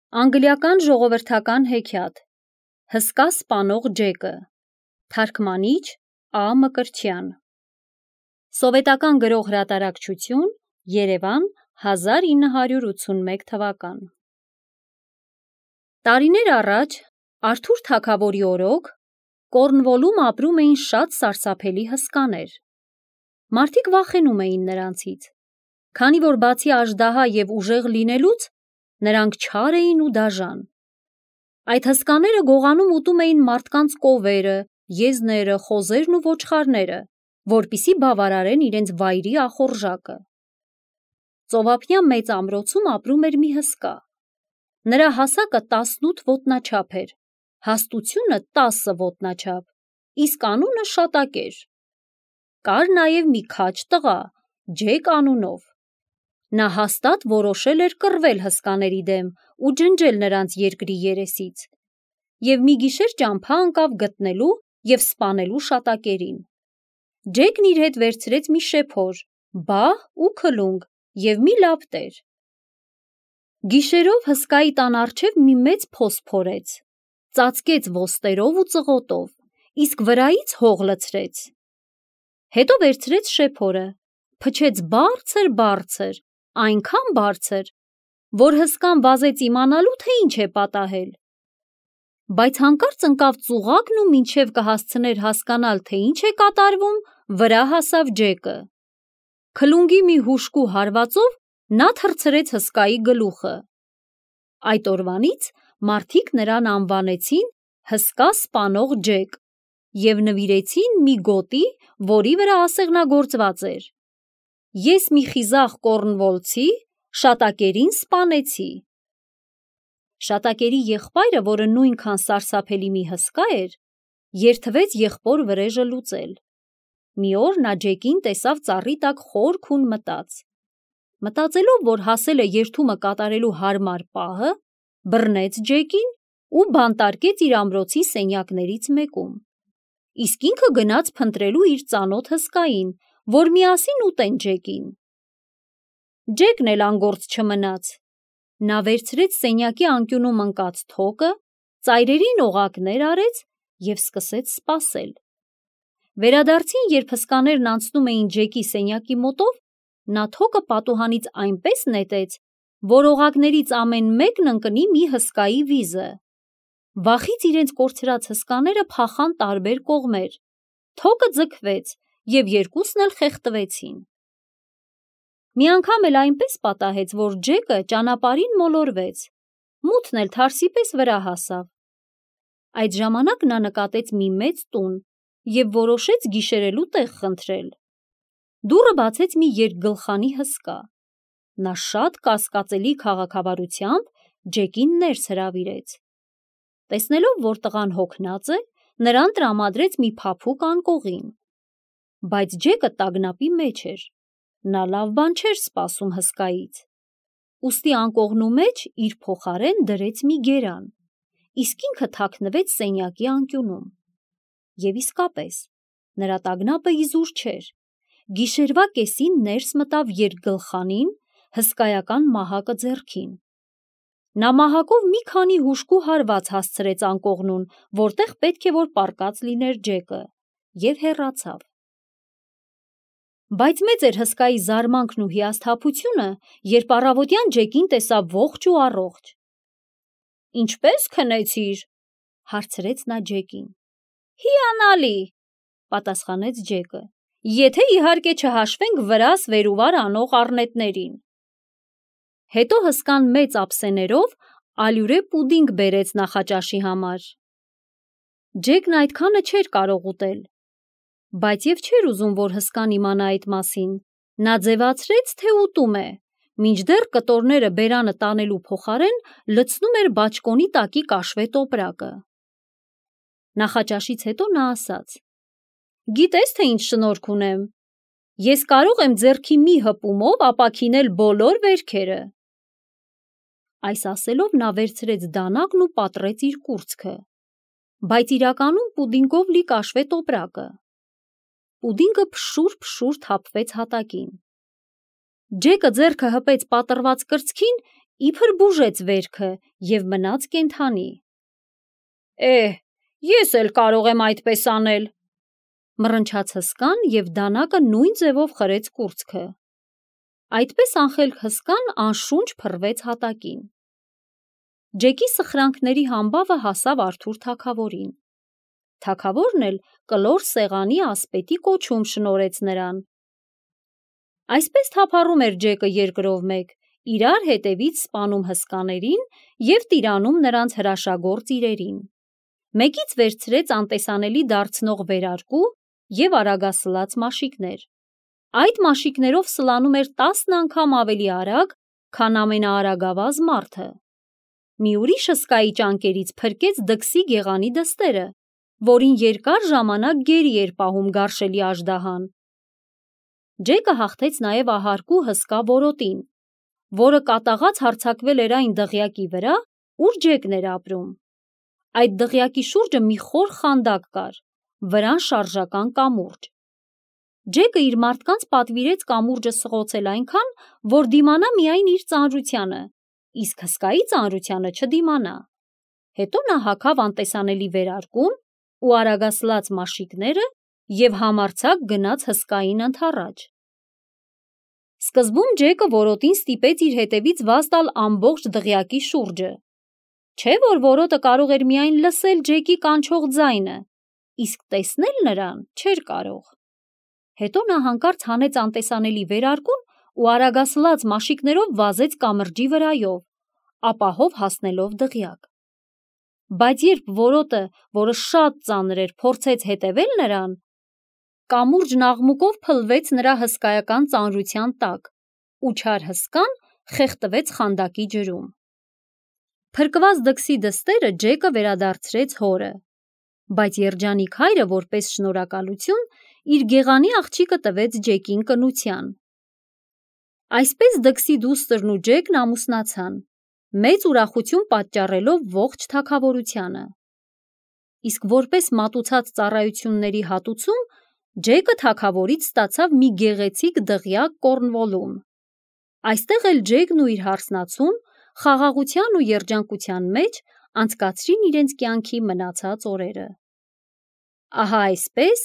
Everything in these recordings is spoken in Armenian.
Անգլիական ժողովրդական հեքիաթ Հսկա սպանող Ջեկը Թարգմանիչ Ա. Մկրտչյան Սովետական գրող հրատարակչություն Երևան 1981 թվական Տարիներ առաջ Արթուր թագավորի օրոք Կորնվոլում ապրում էին շատ սարսափելի հսկաներ։ Մարդիկ վախենում էին նրանցից, քանի որ բացի աժդահա և ուժեղ լինելուց նրանք չար էին ու դաժան։ Այդ հսկաները գողանում ուտում էին մարդկանց կովերը, եզները, խոզերն ու ոչխարները, որպեսզի բավարարեն իրենց վայրի ախորժակը։ Ծովափնյա մեծ ամրոցում ապրում էր մի հսկա։ Նրա հասակը 18 ոտնաչափ էր, հաստությունը 10 ոտնաչափ, իսկ անունը Շատակեր։ Կար նաև մի քաջ տղա, Ջեք անունով։ Նա հաստատ որոշել էր կռվել հսկաների դեմ ու ջնջել նրանց երկրի երեսից, և մի գիշեր ճամփա ընկավ գտնելու և սպանելու Շատակերին։ Ջեկն իր հետ վերցրեց մի շեփոր, բահ ու քլունգ և մի լապտեր։ Գիշերով հսկայի տան առջև մի մեծ փոս փորեց, ծածկեց ոստերով ու ծղոտով, իսկ վրայից հող լցրեց։ Հետո վերցրեց շեփորը, փչեց բարձր, այնքան բարձր, որ հսկան վազեց իմանալու, թե ինչ է պատահել։ Բայց հանկարծ ընկավ ծուղակն ու մինչև կհասցներ հասկանալ, թե ինչ է կատարվում, վրա հասավ Ջեկը։ Քլունգի մի հուժկու հարվածով նա թռցրեց հսկայի գլուխը։ Այդ օրվանից մարդիկ նրան անվանեցին Հսկա սպանող Ջեք և նվիրեցին մի գոտի, որի վրա ասեղնագործված էր. Ես մի խիզախ կորնվոլցի Շատակերին սպանեցի։ Շատակերի եղբայրը, որը նույնքան սարսափելի մի հսկա էր, երդվեց եղբոր վրեժը լուծել։ Մի օր նա Ջեկին տեսավ ծառի տակ խոր քուն մտած։ Մտածելով, որ հասել է երդումը կատարելու հարմար պահը, բռնեց Ջեկին ու բանտարկեց իր ամրոցի սենյակներից մեկում, իսկ ինքը գնաց փնտրելու իր ծանոթ հսկային, որ միասին ուտեն Ջեկին։ Ջեկն էլ անգործ չմնաց։ Նա վերցրեց սենյակի անկյունում ընկած թոկը, ծայրերին օղակներ արեց և սկսեց սպասել։ Վերադարձին, երբ հսկաներն անցնում էին Ջեկի սենյակի մոտով, նա թոկը պատուհանից այնպես նետեց, որ օղակներից ամեն մեկն ընկնի մի հսկայի վիզը։ Վախից իրենց կորցրած հսկաները փախան տարբեր կողմեր, թոկը ձգվեց, և երկուսն էլ խեղդվեցին։ Մի անգամ էլ այնպես պատահեց, որ Ջեկը ճանապարհին մոլորվեց, մութն էլ թարսի պես վրա հասավ։ Այդ ժամանակ նա նկատեց մի մեծ տուն և որոշեց գիշերելու տեղ խնդրել։ Դուռը բացեց մի երկգլխանի հսկա։ Նա շատ կասկածելի քաղաքավարությամբ Ջեկին ներս հրավիրեց։ Տեսնելով, որ տղան հոգնած է, նրան տրամադրեց մի փափուկ անկողին։ Բայց Ջեկը տագնապի մեջ էր, նա լավ բան չէր սպասում հսկայից։ Ուստի անկողնու մեջ իր փոխարեն դրեց մի գերան, իսկ ինքը թաքնվեց սենյակի անկյունում։ Եվ իսկապես, նրա տագնապը իզուր չէր։ Գիշերվա կեսին ներս մտավ երկգլխանին, հսկայական մահակը ձեռքին։ Նա մահակով մի քանի հուժկու հարված հասցրեց անկողնուն, որտեղ պետք է որ պառկած լիներ Ջեկը, և հեռացավ։ Բայց մեծ էր հսկայի զարմանքն ու հիասթափությունը, երբ առավոտյան Ջեկին տեսավ ողջ ու առողջ։ «Ինչպե՞ս քնեցիր», հարցրեց նա Ջեկին։ «Հիանալի», պատասխանեց Ջեկը, «եթե իհարկե չհաշվենք վրաս վեր ու վար անող առնետներին»։ Հետո հսկան մեծ ափսեներով ալյուրե պուդինգ բերեց նախաճաշի համար։ Ջեկն այդքանը չէր կարող ուտել, բայց և չէր ուզում, որ հսկան իմանա այդ մասին։ Նա ձևացրեց, թե ուտում է, մինչդեռ կտորները բերանը տանելու փոխարեն լցնում էր բաճկոնի տակի կաշվե տոպրակը։ Նախաճաշից հետո նա ասաց. «Գիտես, թե ինչ շնորհք ունեմ։ Ես կարող եմ ձեռքի մի հպումով ապաքինել բոլոր վերքերը»։ Այս ասելով նա վերցրեց դանակն ու պատռեց իր կուրծքը, բայց իրականում պուդինգով լի կաշվե տոպրակը։ Պուդինգը փշուր թափվեց հատակին։ Ջեկը ձեռքը հպեց պատռված կրծքին, իբր բուժեց վերքը և մնաց կենդանի։ Ես էլ կարող եմ այդպես անել, մռնչաց հսկան և դանակը նույն ձևով խրեց կուրծքը։ Այդպես անխելք հսկան անշունչ փռվեց հատակին։ Ջեկի սխրանքների համբավը հասավ Արթուր թագավորին։ Թագավորն էլ կլոր սեղանի ասպետի կոչում շնորհեց նրան։ Այսպես թափառում էր Ջեկը երկրով մեկ, իրար հետևից սպանում հսկաներին և տիրանում նրանց հրաշագործ իրերին։ Մեկից վերցրեց անտեսանելի դարձնող վերարկու և արագասլաց մաշիկներ։ Այդ մաշիկներով սլանում էր 10 անգամ ավելի արագ, քան ամենաարագավազ մարդը։ Մի ուրիշ հսկայի ճանկերից փրկեց դքսի գեղանի դստերը, որին երկար ժամանակ գերի էր պահում գարշելի աժդահան։ Ջեկը հաղթեց նաև ահարկու հսկա որոտին, որը կատաղած հարձակվել էր այն դղյակի վրա, ուր Ջեկն էր ապրում։ Այդ դղյակի շուրջը մի խոր խանդակ կար, վրան շարժական կամուրջ։ Ջեկը իր մարդկանց պատվիրեց կամուրջը սղոցել այնքան, որ դիմանա միայն իր ծանրությանը, իսկ հսկայի ծանրությանը չդիմանա։ Հետո նա հագավ անտեսանելի վերարկուն ու արագասլաց մաշիկները և համարձակ գնաց հսկային ընդառաջ։ Սկզբում Ջեկը որոտին ստիպեց իր հետևից վազ տալ ամբողջ դղյակի շուրջը, չէ՞ որ որոտը կարող էր միայն լսել Ջեկի կանչող ձայնը, իսկ տեսնել նրան չէր կարող։ Հետո նա հանկարծ հանեց անտեսանելի վերարկուն ու արագասլաց մաշիկներով վազեց կամրջի վրայով, ապահով հասնելով դղյակ։ Բայց երբ որոտը, որը շատ ծանր էր, փորձեց հետևել նրան, կամուրջն աղմուկով փլվեց նրա հսկայական ծանրության տակ, ու չար հսկան խեղդվեց խանդակի ջրում։ Փրկված դքսի դստերը Ջեկը վերադարձրեց հորը, բայց երջանիկ հայրը որպես շնորհակալություն իր գեղանի աղջիկը տվեց Ջեկին կնության։ Այսպես դքսի դուստրն ու Ջեկն ամուսնացան, մեծ ուրախություն պատճառելով ողջ թագավորությանը։ Իսկ որպես մատուցած ծառայությունների հատուցում Ջեկը թագավորից ստացավ մի գեղեցիկ դղյակ Կորնվոլում։ Այստեղ էլ Ջեկն ու իր հարսնացուն խաղաղության ու երջանկության մեջ անցկացրին իրենց կյանքի մնացած օրերը։ Ահա այսպես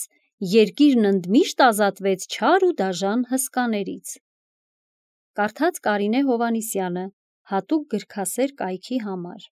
երկիրն ընդմիշտ ազատվեց չար ու դաժան հսկաներից։ Կարդաց Կարինե Հովհաննիսյանը, հատուկ գրքասեր կայքի համար։